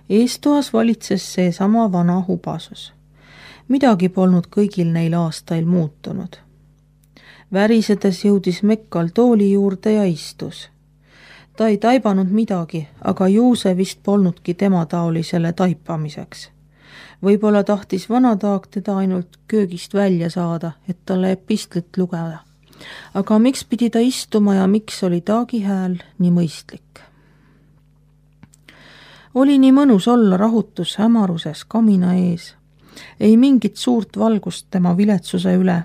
Eestoas valitses seesama vana hubasus. Midagi polnud kõigil neil aastail muutunud. Värisedes jõudis Mekkal tooli juurde ja istus. Ta ei taibanud midagi, aga juuse vist polnudki tema taolisele taipamiseks. Võib-olla tahtis vanataag teda ainult köögist välja saada, et talle epistlit lugeda. Aga miks pidi ta istuma ja miks oli taagi hääl nii mõistlik? Oli nii mõnus olla rahutus hämaruses kamina ees. Ei mingit suurt valgust tema viletsuse üle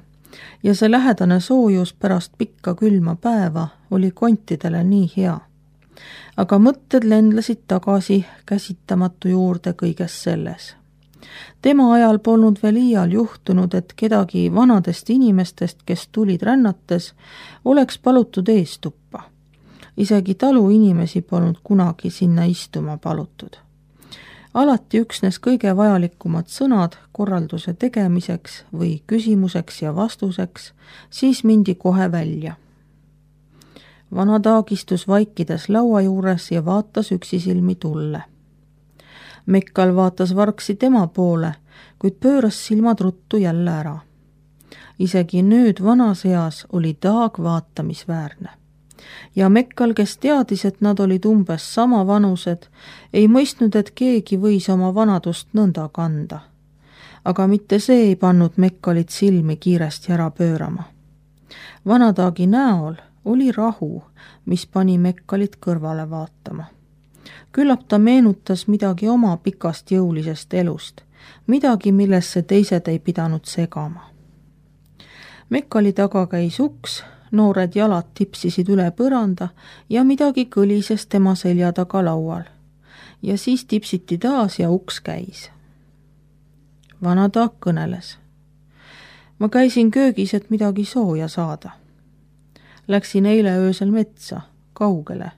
ja see lähedane soojus pärast pikka külma päeva oli kontidele nii hea. Aga mõtted lendlesid tagasi käsitamatu juurde kõiges selles. Tema ajal polnud veel iial juhtunud, et kedagi vanadest inimestest, kes tulid rännates, oleks palutud eestuppa. Isegi talu inimesi polnud kunagi sinna istuma palutud. Alati üksnes kõige vajalikumad sõnad korralduse tegemiseks või küsimuseks ja vastuseks, siis mindi kohe välja. Vanataag istus vaikides laua juures ja vaatas üksisilmi tulle. Mekkal vaatas vargsi tema poole, kuid pööras silmad ruttu jälle ära. Isegi nüüd vanas eas oli taag vaatamisväärne. Ja Mekkal, kes teadis, et nad olid umbes sama vanused, ei mõistnud, et keegi võis oma vanadust nõnda kanda. Aga mitte see ei pannud Mekkalit silmi kiiresti ära pöörama. Vanataagi näol oli rahu, mis pani Mekkalit kõrvale vaatama. Küllap ta meenutas midagi oma pikast jõulisest elust, midagi, millesse teised ei pidanud segama. Mekkali taga käis uks, noored jalad tipsisid üle põranda ja midagi kõlises tema selja taga laual. Ja siis tipsiti taas ja uks käis. Vanataag kõneles. Ma käisin köögis, et midagi sooja saada. Läksin eile öösel metsa, kaugele,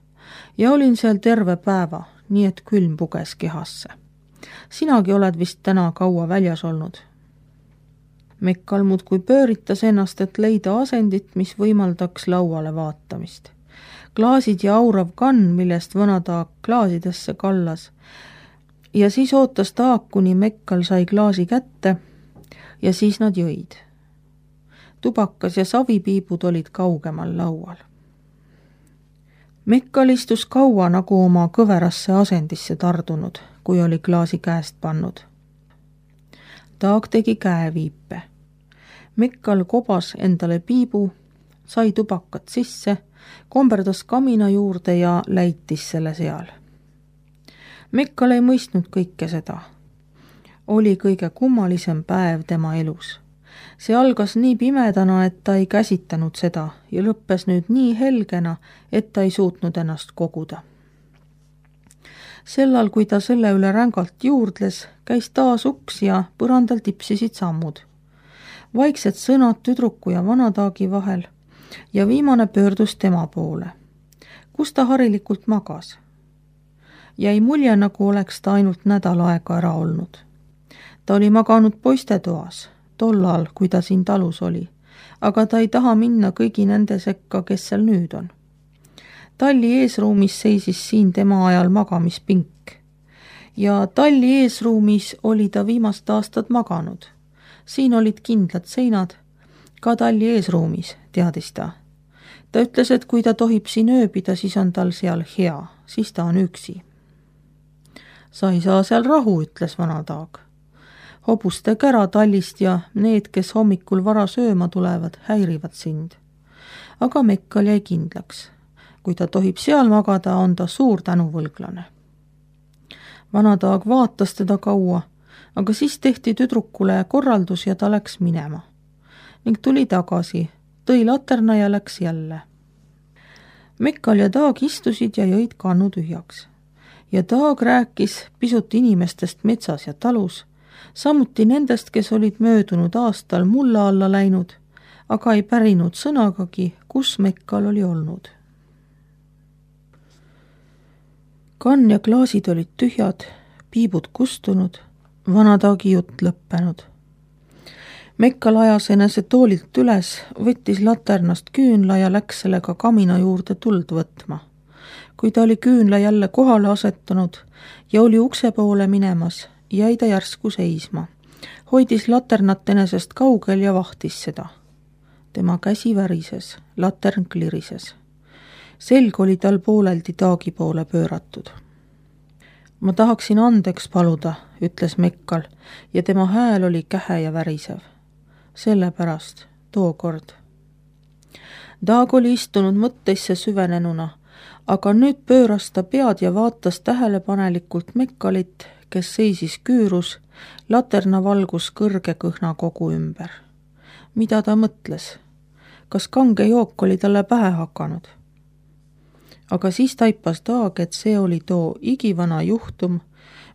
ja olin seal terve päeva, nii et külm puges kehasse. Sinagi oled vist täna kaua väljas olnud. Mekkal muudkui pööritas ennast, et leida asendit, mis võimaldaks lauale vaatamist. Klaasid ja aurav kann, millest vanataag klaasidesse kallas, ja siis ootas taag, kuni Mekkal sai klaasi kätte ja siis nad jõid. Tubakas ja savipiibud olid kaugemal laual. Mekkal istus kaua nagu oma kõverasse asendisse tardunud, kui oli klaasi käest pannud. Taag tegi käeviipe. Mekkal kobas endale piibu, sai tubakat sisse, komberdas kamina juurde ja läitis selle seal. Mekkal ei mõistnud kõike seda. Oli kõige kummalisem päev tema elus. See algas nii pimedana, et ta ei käsitanud seda ja lõppes nüüd nii helgena, et ta ei suutnud ennast koguda. Sellal, kui ta selle üle rängalt juurdles, käis taas uks ja põrandal tipsisid sammud. Vaiksed sõnad tüdruku ja vanataagi vahel ja viimane pöördus tema poole. Kus ta harilikult magas? Jäi mulje, nagu oleks ta ainult nädal aega ära olnud. Ta oli maganud poistetoas, tollal, kui ta siin talus oli, aga ta ei taha minna kõigi nende sekka, kes seal nüüd on. Talli eesruumis seisis siin tema ajal magamispink. Ja talli eesruumis oli ta viimast aastat maganud. Siin olid kindlad seinad, ka talli eesruumis, teadis ta. Ta ütles, et kui ta tohib siin ööbida, siis on tal seal hea, siis ta on üksi. Sa ei saa seal rahu, ütles vanataag. Hobuste kära tallist ja need, kes hommikul vara sööma tulevad, häirivad sind. Aga Mekkal jäi kindlaks. Kui ta tohib seal magada, on ta suur tänuvõlglane. Vanataag vaatas teda kaua, aga siis tehti tüdrukule korraldus ja ta läks minema. Ning tuli tagasi, tõi laterna ja läks jälle. Mekkal ja Taag istusid ja jõid kannu tühjaks. Ja Taag rääkis pisut inimestest metsas ja talus, samuti nendest, kes olid möödunud aastal mulla alla läinud, aga ei pärinud sõnagagi, kus Mekkal oli olnud. Kann ja klaasid olid tühjad, piibud kustunud, vanataagi jutt lõppenud. Mekkal ajas enese toolilt üles, võttis laternast küünla ja läks sellega kamina juurde tuld võtma. Kui ta oli küünla jälle kohale asetanud ja oli ukse poole minemas, jäi ta järsku seisma. Hoidis laternat enesest kaugel ja vahtis seda. Tema käsi värises, latern klirises. Selg oli tal pooleldi Taagi poole pööratud. Ma tahaksin andeks paluda, ütles Mekkal ja tema hääl oli kähe ja värisev. Sellepärast, tookord. Taag oli istunud mõtteisse süvenenuna, aga nüüd pööras ta pead ja vaatas tähelepanelikult Mekkalit, kes seisis küürus, laterna valgus kõrge kõhna kogu ümber. Mida ta mõtles? Kas kange jook oli talle pähe hakanud? Aga siis taipas Taag, et see oli too igivana juhtum,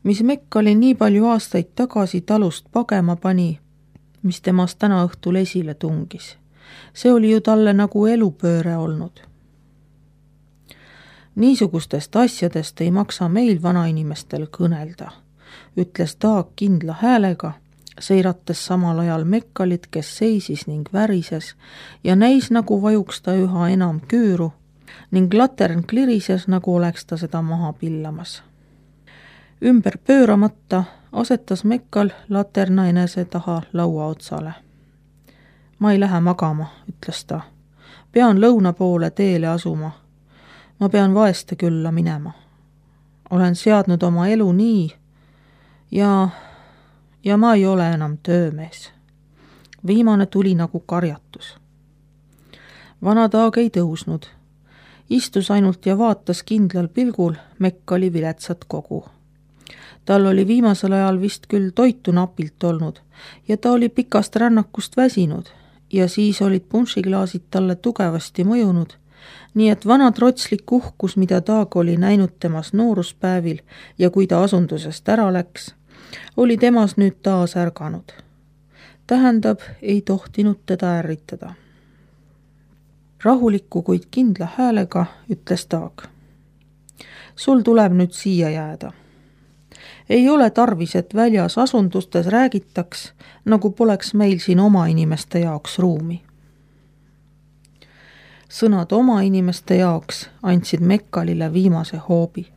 mis Mekkali nii palju aastaid tagasi talust pagema pani, mis temast täna õhtul esile tungis. See oli ju talle nagu elupööre olnud. Niisugustest asjadest ei maksa meil vanainimestel kõnelda, ütles Taag kindla häälega, seirates samal ajal Mekkalit, kes seisis ning värises ja näis nagu vajuks ta üha enam küüru ning latern klirises, nagu oleks ta seda maha pillamas. Ümber pööramata asetas Mekkal laterna enese taha laua otsale. Ma ei lähe magama, ütles ta. Pean lõuna poole teele asuma. Ma pean vaeste külla minema. Olen seadnud oma elu nii ja ma ei ole enam töömees. Viimane tuli nagu karjatus. Vana Taag ei tõusnud. Istus ainult ja vaatas kindlal pilgul Mekkali viletsat kogu. Tal oli viimasel ajal vist küll toitu napilt olnud ja ta oli pikast rännakust väsinud ja siis olid punšiklaasid talle tugevasti mõjunud, nii et vana trotslik uhkus, mida Taag oli näinud temas nooruspäevil ja kui ta asundusest ära läks, oli temas nüüd taas ärganud. Tähendab, ei tohtinud teda ärritada. Rahuliku, kuid kindla häälega ütles Taag. Sul tuleb nüüd siia jääda. Ei ole tarvis, et väljas asundustes räägitaks, nagu poleks meil siin oma inimeste jaoks ruumi. Sõnad oma inimeste jaoks andsid Mekkalile viimase hoobi.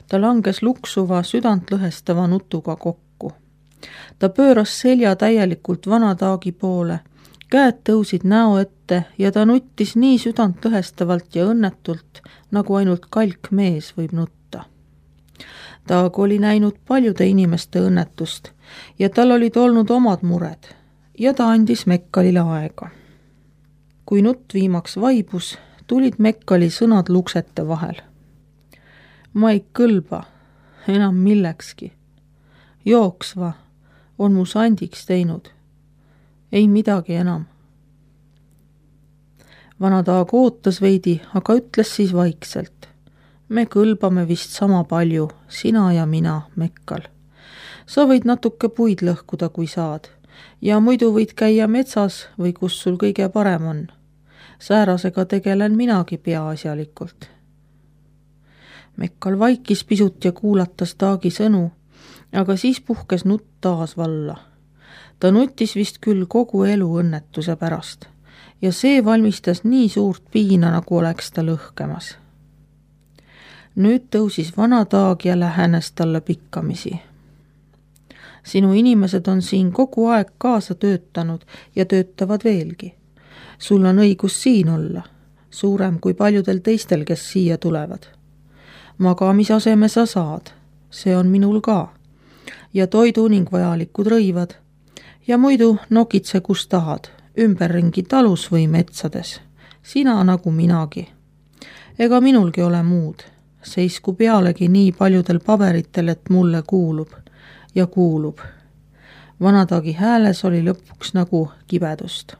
Ta langes luksuva, südantlõhestava nutuga kokku. Ta pööras selja täielikult vana Taagi poole, käed tõusid näo ette ja ta nuttis nii südantlõhestavalt ja õnnetult, nagu ainult kalk mees võib nutta. Taag oli näinud paljude inimeste õnnetust ja tal olid olnud omad mured ja ta andis Mekkalile aega. Kui nutt viimaks vaibus, tulid Mekkali sõnad luksete vahel. Ma ei kõlba enam millekski. Jooksva on mu sandiks teinud. Ei midagi enam. Vana Taag ootas veidi, aga ütles siis vaikselt. Me kõlbame vist sama palju, sina ja mina, Mekkal. Sa võid natuke puid lõhkuda, kui saad, ja muidu võid käia metsas või kus sul kõige parem on. Säärasega tegelen minagi peaasjalikult. Mekkal vaikis pisut ja kuulatas Taagi sõnu, aga siis puhkes nutt taas valla. Ta nutis vist küll kogu elu õnnetuse pärast ja see valmistas nii suurt piina, nagu oleks ta lõhkemas. Nüüd tõusis vana Taag ja lähenes talle pikkamisi. Sinu inimesed on siin kogu aeg kaasa töötanud ja töötavad veelgi. Sul on õigus siin olla, suurem kui paljudel teistel, kes siia tulevad. Magamisaseme sa saad, see on minul ka, ja toidu ning vajalikud rõivad. Ja muidu nokitse kus tahad, ümberringi talus või metsades, sina nagu minagi. Ega minulgi ole muud, seisku pealegi nii paljudel paberitel, et mulle kuulub ja kuulub. Vana Taagi hääles oli lõpuks nagu kibedust.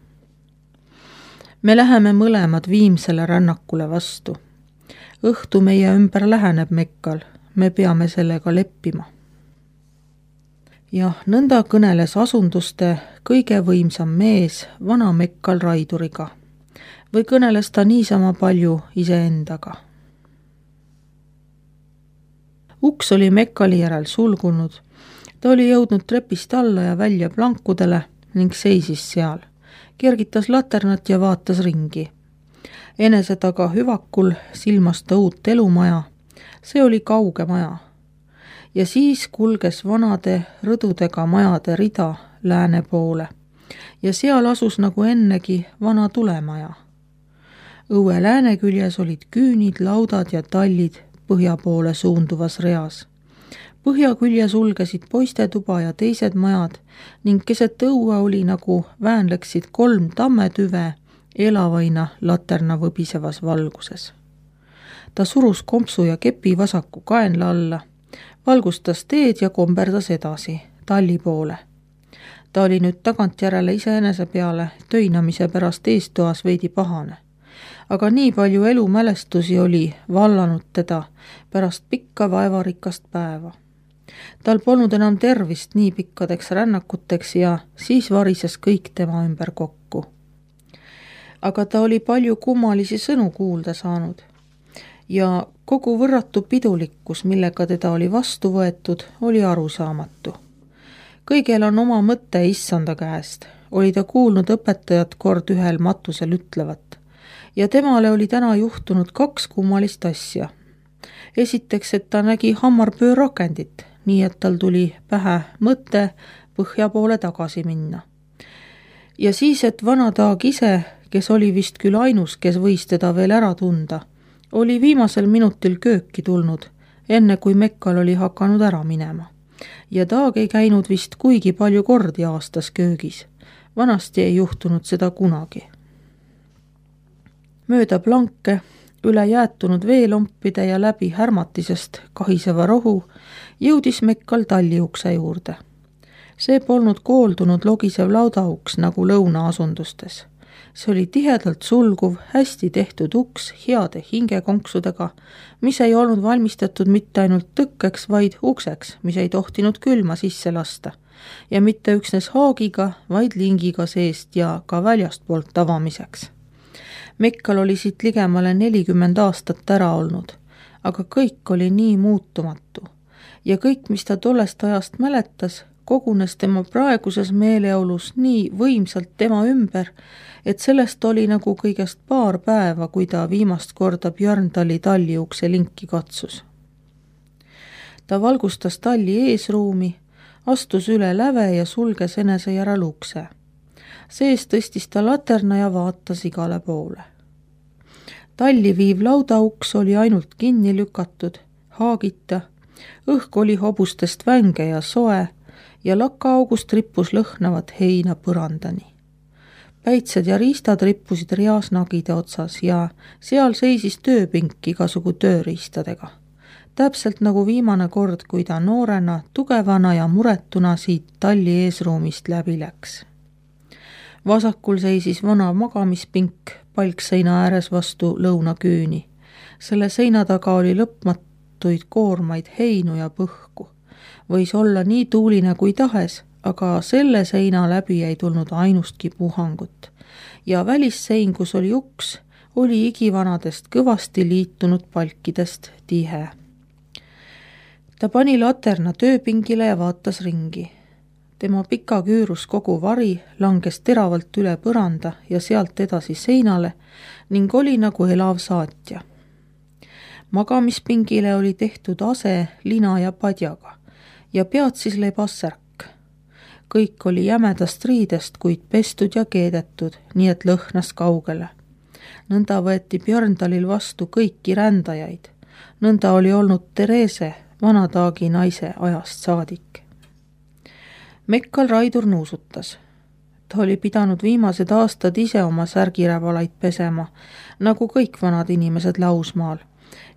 Me läheme mõlemad viimsele rännakule vastu. Õhtu meie ümber läheneb Mekkal, me peame sellega leppima. Jah, nõnda kõneles asunduste kõige võimsam mees vana Mekkal Raiduriga. Või kõneles ta niisama palju iseendaga. Uks oli Mekkali järel sulgunud. Ta oli jõudnud trepist alla ja välja plankudele ning seisis seal. Kergitas laternat ja vaatas ringi. Enese taga hüvakul silmas ta uut elumaja. See oli kauge maja. Ja siis kulges vanade rõdudega majade rida lääne poole. Ja seal asus nagu ennegi vana tulemaja. Õue lääne küljes olid küünid, laudad ja tallid põhja poole suunduvas reas. Põhja külje sulgesid poistetuba ja teised majad ning keset õue oli nagu väänleksid 3 tammetüve elavaina laterna võbisevas valguses. Ta surus kompsu ja kepi vasaku kaenla alla, valgustas teed ja komberdas edasi, talli poole. Ta oli nüüd tagantjärele iseenese peale töinamise pärast eestoas veidi pahane. Aga nii palju elumälestusi oli vallanud teda pärast pikka vaevarikast päeva. Tal polnud enam tervist nii pikkadeks rännakuteks ja siis varises kõik tema ümber kokku. Aga ta oli palju kummalisi sõnu kuulda saanud ja kogu võrratu pidulikkus, millega teda oli vastu võetud, oli arusaamatu. Kõigel on oma mõte issanda käest, oli ta kuulnud õpetajat kord ühel matusel ütlevat ja temale oli täna juhtunud 2 kummalist asja. Esiteks, et ta nägi hammarpöö rakendit, nii et tal tuli pähe mõte põhja poole tagasi minna. Ja siis, et vanataag ise, kes oli vist küll ainus, kes võis teda veel ära tunda, oli viimasel minutil kööki tulnud, enne kui Mekkal oli hakanud ära minema. Ja taag ei käinud vist kuigi palju kordi aastas köögis. Vanasti ei juhtunud seda kunagi. Mööda planke, üle jäätunud veelompide ja läbi härmatisest kahiseva rohu jõudis Mekkal talliukse juurde. See polnud kooldunud logisev laudauks nagu lõunaasundustes. See oli tihedalt sulguv, hästi tehtud uks heade hingekonksudega, mis ei olnud valmistatud mitte ainult tõkkeks, vaid ukseks, mis ei tohtinud külma sisse lasta. Ja mitte üksnes haagiga, vaid lingiga seest ja ka väljastpoolt avamiseks. Mekkal oli siit ligemale 40 aastat ära olnud, aga kõik oli nii muutumatu. Ja kõik, mis ta tollest ajast mäletas, kogunes tema praeguses meeleolus nii võimsalt tema ümber, et sellest oli nagu kõigest paar päeva, kui ta viimast korda Björndali talliukse linki katsus. Ta valgustas talli eesruumi, astus üle läve ja sulges enese järel ukse. Sees tõstis ta laterna ja vaatas igale poole. Talli viiv laudauks oli ainult kinni lükatud, haagita, õhk oli hobustest vänge ja soe ja lakkaaugust rippus lõhnavat heina põrandani. Päitsed ja riistad rippusid reas nagide otsas ja seal seisis tööpink igasugu tööriistadega. Täpselt nagu viimane kord, kui ta noorena, tugevana ja muretuna siit talli eesruumist läbi läks. Vasakul seisis vana magamispink palkseina ääres vastu lõunaküüni. Selle seina taga oli lõpmatuid koormaid heinu ja põhku. Võis olla nii tuuline kui tahes, aga selle seina läbi ei tulnud ainustki puhangut. Ja välissein, kus oli uks, oli igivanadest kõvasti liitunud palkidest tihe. Ta pani laterna tööpingile ja vaatas ringi. Tema pika küürus kogu vari langes teravalt üle põranda ja sealt edasi seinale ning oli nagu elav saatja. Magamispingile oli tehtud ase lina ja padjaga ja pead siis lebas särk. Kõik oli jämedast riidest, kuid pestud ja keedetud, nii et lõhnas kaugele. Nõnda võeti Björndalil vastu kõiki rändajaid. Nõnda oli olnud Therese, vanataagi naise ajast saadik. Mekkal Raidur nuusutas. Ta oli pidanud viimased aastad ise oma särgirävalaid pesema, nagu kõik vanad inimesed Lausmaal.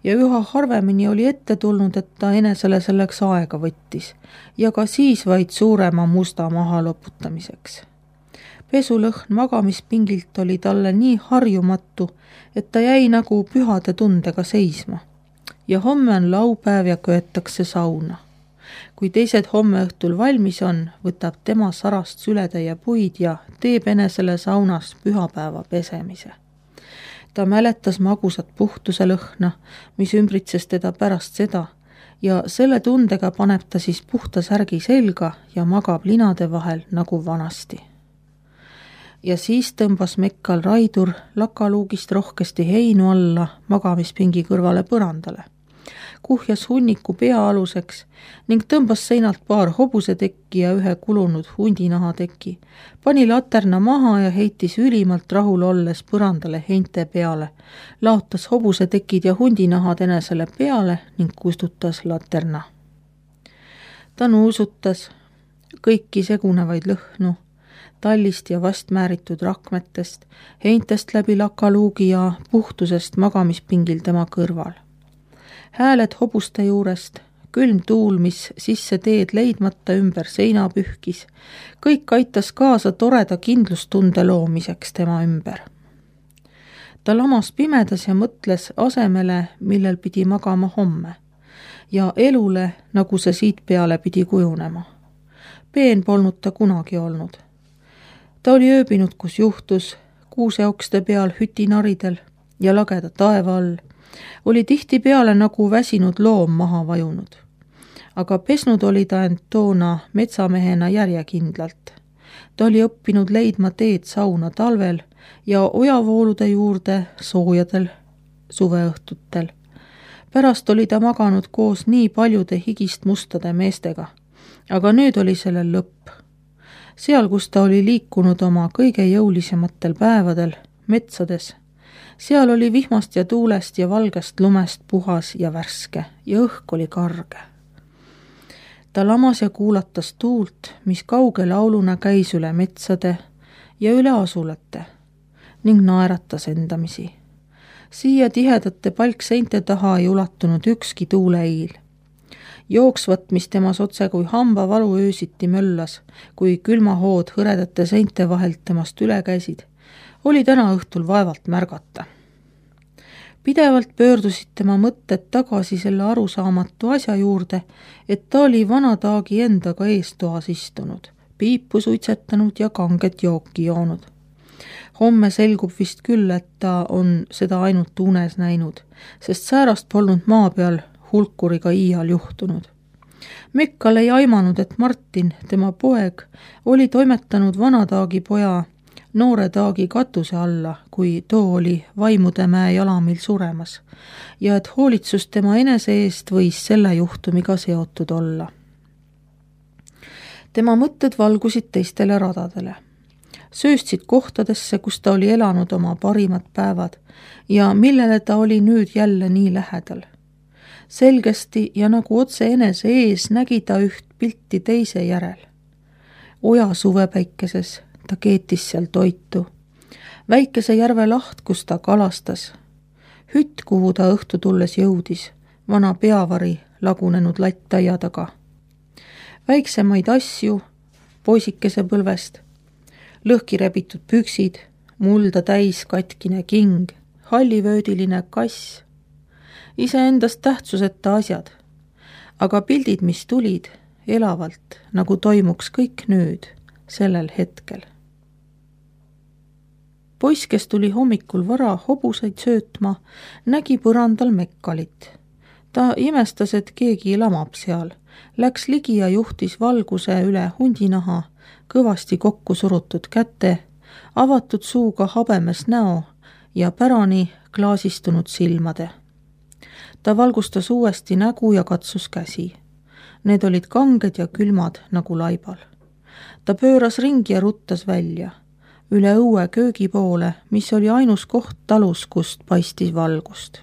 Ja üha harvemini oli ette tulnud, et ta enesele selleks aega võttis ja ka siis vaid suurema musta maha loputamiseks. Pesulõhn magamispingilt oli talle nii harjumatu, et ta jäi nagu pühade tundega seisma. Ja homme on laupäev ja köetakse sauna. Kui teised homme õhtul valmis on, võtab tema sarast sületäie puid ja teeb enesele saunas pühapäeva pesemise. Ta mäletas magusat puhtuse lõhna, mis ümbritses teda pärast seda ja selle tundega paneb ta siis puhta särgi selga ja magab linade vahel nagu vanasti. ja siis tõmbas Mekkal Raidur lakaluugist rohkesti heinu alla magamispingi kõrvale põrandale. Kuhjas hunniku pea aluseks ning tõmbas seinalt paar hobusetekki ja ühe kulunud hundinahateki, pani laterna maha ja heitis ülimalt rahul olles põrandale heinte peale, laotas hobusetekid ja hundinahad enesele peale ning kustutas laterna. Ta nuusutas kõiki segunevaid lõhnu, tallist ja vastmääritud rakmetest, heintest läbi lakaluugi ja puhtusest magamispingil tema kõrval. Hääled hobuste juurest, külm tuul, mis sisse teed leidmata ümber seina pühkis, kõik aitas kaasa toreda kindlustunde loomiseks tema ümber. Ta lamas pimedas ja mõtles asemele, millel pidi magama homme, ja elule, nagu see siit peale pidi kujunema. Peen polnud ta kunagi olnud. Ta oli ööbinud, kus juhtus, kuuseokste peal hütinaridel ja lageda taeva all, oli tihti peale nagu väsinud loom maha vajunud. Aga pesnud oli ta end toona metsamehena järjekindlalt. Ta oli õppinud leidma teed sauna talvel ja ojavoolude juurde soojadel suveõhtutel. Pärast oli ta maganud koos nii paljude higist mustade meestega, aga nüüd oli sellel lõpp. Seal, kus ta oli liikunud oma kõige jõulisematel päevadel, metsades, seal oli vihmast ja tuulest ja valgest lumest puhas ja värske ja õhk oli karge. Ta lamas ja kuulatas tuult, mis kauge lauluna käis üle metsade ja üle asulate ning naeratas endamisi. Siia tihedate palkseinte taha ei ulatunud ükski tuuleiil. Jooksvat, mis temas otse kui hambavalu öösiti möllas, kui külmahood hõredate seinte vahelt temast üle käisid, oli täna õhtul vaevalt märgata. Pidevalt pöördusid tema mõtted tagasi selle arusaamatu asja juurde, et ta oli vanataagi endaga eestoas istunud, piipu suitsetanud ja kanget jooki joonud. Homme selgub vist küll, et ta on seda ainult unes näinud, sest säärast polnud maa peal hulkuriga iial juhtunud. Mekkal ei aimanud, et Martin, tema poeg, oli toimetanud vanataagi poja noore taagi katuse alla, kui too oli Vaimudemäe jalamil suremas, ja et hoolitsus tema enese eest võis selle juhtumiga seotud olla. Tema mõtted valgusid teistele radadele. Sööstsid kohtadesse, kus ta oli elanud oma parimad päevad ja millele ta oli nüüd jälle nii lähedal. Selgesti ja nagu otse enese ees nägi ta üht pilti teise järel. Oja suvepäikeses ta keetis seal toitu. Väikese järve laht, kus ta kalastas. Hütt, kuhu ta õhtu tulles jõudis, vana peavari lagunenud lattaia taga. Väiksemaid asju, poisikese põlvest, lõhki rebitud püksid, mulda täis katkine king, hallivöödiline kass, iseendast tähtsuseta asjad, aga pildid, mis tulid, elavalt, nagu toimuks kõik nüüd, sellel hetkel. Poiss, kes tuli hommikul vara hobuseid söötma, nägi põrandal Mekkalit. Ta imestas, et keegi lamab seal, läks ligi ja juhtis valguse üle hundinaha, kõvasti kokku surutud käte, avatud suuga habemes näo ja pärani klaasistunud silmade. Ta valgustas uuesti nägu ja katsus käsi. Need olid kanged ja külmad nagu laibal. Ta pööras ringi ja ruttas välja, üle õue köögi poole, mis oli ainus koht talus, kust paistis valgust.